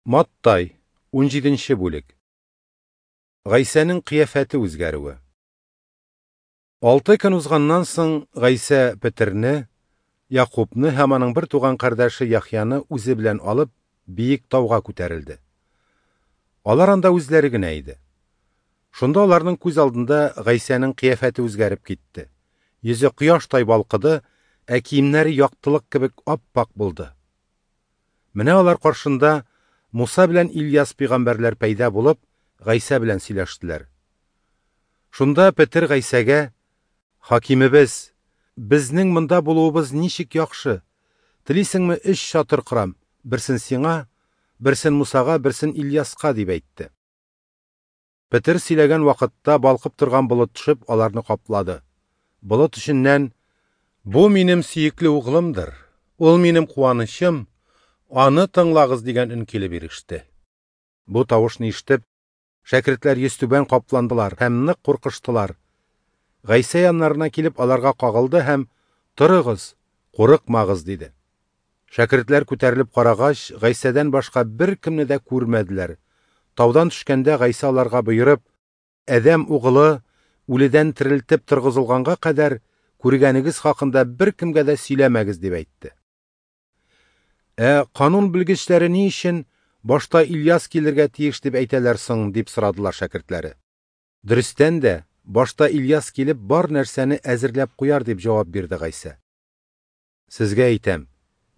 Маттай, 17 бүлек. Гайсәнең кыяфәте үзгәрүе. 6 көн узганнан соң Гайсә Петерне, Якубны һәм аның бер туган кардәше Яхъяны үзе белән алып, биек тауга күтәрелде. Алар анда үзләре генә иде. Шунда аларның күз алдында Гайсәнең кыяфәте үзгәреп китте. Йөзе кояштай балкыды, ә киемнәре яктылык кебек ап-ак булды. Менә алар каршында Муса белән Ильяс пәйгамбәрләр пәйда булып, Гайсә белән сөйләштеләр. Шунда Петер Гайсәгә: "Хакимебез, безнең монда булуыбыз ничек яхшы. Телисеңме, 3 чатыр корам, берсен сиңа, берсен Мусага, берсен Ильяска", дип әйтте. Петер сөйләгән вакытта балкып торган болыт төшеп аларны каплады. Болыт эченнән: "Бу минем сөекле углымдыр. Ул минем куанычым. Аны тыңлагыз" дигән өн килеп иреште. Бу тавышны ишетеп, шәкертләр йөзтүбән капландылар һәм нык куркыштылар. Гайсә яннарына килеп аларга кагылды һәм: "Торыгыз, курыкмагыз", диде. Шәкертләр күтәрелеп карагач, Гайсәдән башка бер кемне дә күрмәделәр. Таудан төшкәндә Гайсә аларга боерып: "Адәм угылы үледән терелтеп торгызылганга кадәр күргәнегез хакында бер кемгә дә сөйләмәгез", дип әйтте. Ә канун белгечләре ни өчен башта Ильяс килергә тиеш дип әйтәләр соң, дип сорадылар шәкертләре. Дөрестән дә, башта Ильяс килеп бар нәрсәне әзерләп куяр, дип җавап бирде Гайсә. Сезгә әйтәм,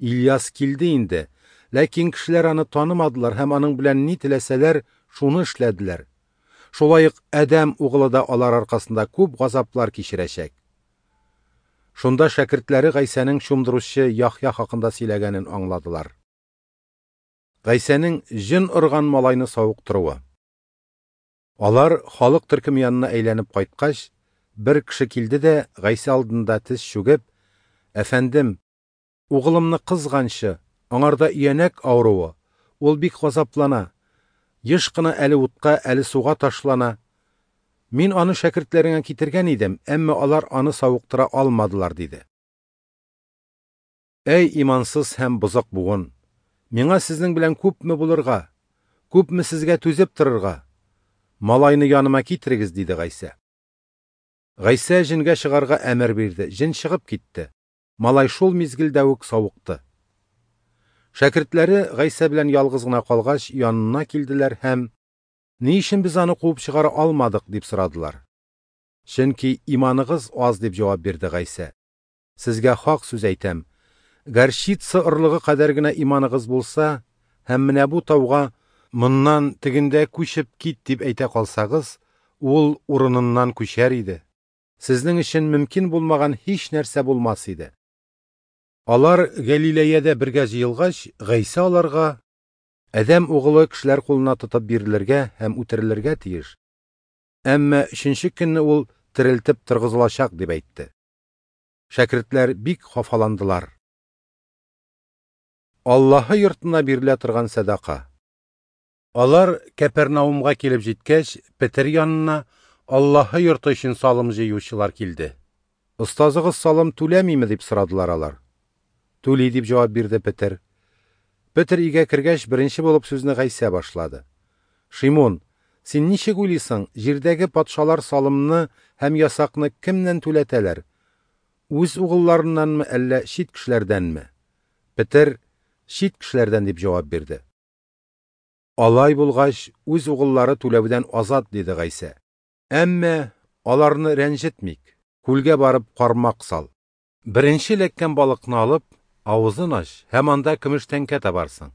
Ильяс килде инде, ләкин кешеләр аны танымадылар һәм аның белән ни теләсәләр, шуны эшләделәр. Шулай ук Адәм угылы да алар аркасында күп газаплар кичерәчәк. Шунда шәкертләре Гайсәнең чумдыручы Яхъя хакында сөйләгәнен аңладылар. Гайсәнең җен орган малайны савыктыруы. Алар халык төркеме янына әйләнеп кайткач, бер кеше килде дә Гайсә алдында тез чүгеп: "Әфәндем, угылымны кызганчы, аңарда өянәк авыруы, ул бик газаплана, еш кына әле утка, әле суга ташлана. Мин аны шәкертләреңә китергән идем, әмма алар аны савыктыра алмадылар", диде. Әй имансыз һәм бозык буын, миңа сезнең белән күпме булырга, күпме сезгә түзеп торырга? Малайны яныма китерегез, диде Гайсә. Гайсә җенгә чыгарга әмер бирде, җен чыгып китте. Малай шул мизгелдә үк савыкты. Шәкертләре Гайсә белән ялгыз гына калгач, янына килделәр һәм: "Ни өчен без аны куып чыгара алмадык?" дип сорадылар. "Чөнки иманыгыз аз", дип җавап бирде Гайсә. "Сезгә хак сүз әйтәм, горчица орлыгы кадәр генә иманыгыз булса, һәм менә бу тауга моннан тегендә күчеп кит дип әйтә калсагыз, ул урыныннан күчәр иде. Сезнең өчен мөмкин булмаган һич нәрсә булмас иде." Алар Галилеядә бергә җыелгач, Гайсә аларга: "Адәм угылы кешеләр кулына тотып бирелергә һәм үтерелергә тиеш. Әмма өченче көнне ул терелтеп торгызылачак", дип әйтте. Шәкертләр бик хафаландылар. Аллаһы йортына бирелә торган сәдака. Алар Кәпернаумга килеп җиткәч, Петер янына Аллаһы йорты өчен салым җыючылар килде. "Остазыгыз салым түләмиме?" дип сорадылар алар. "Түли", дип җавап бирде Петер. Петер өйгә кергәч, беренче булып сүзне Гайсә башлады. "Шимун, син ничек уйлыйсың, җирдәге патшалар салымны һәм ясакны кемнән түләтәләр? Үз угылларыннанмы, әллә чит кешеләрдәнме?" Петер: "Чит кешеләрдән", дип җавап бирде. "Алай булгач, үз угыллары түләүдән азат", диде Гайсә. "Әмма аларны рәнҗетмик, күлгә барып кармак сал. Беренче эләккән балыкны алып, авызын ач һәм анда көмеш тәңкә табарсың.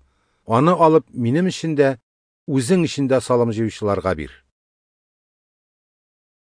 Аны алып, минем өчен дә, үзең өчен дә салым җыючыларга бир".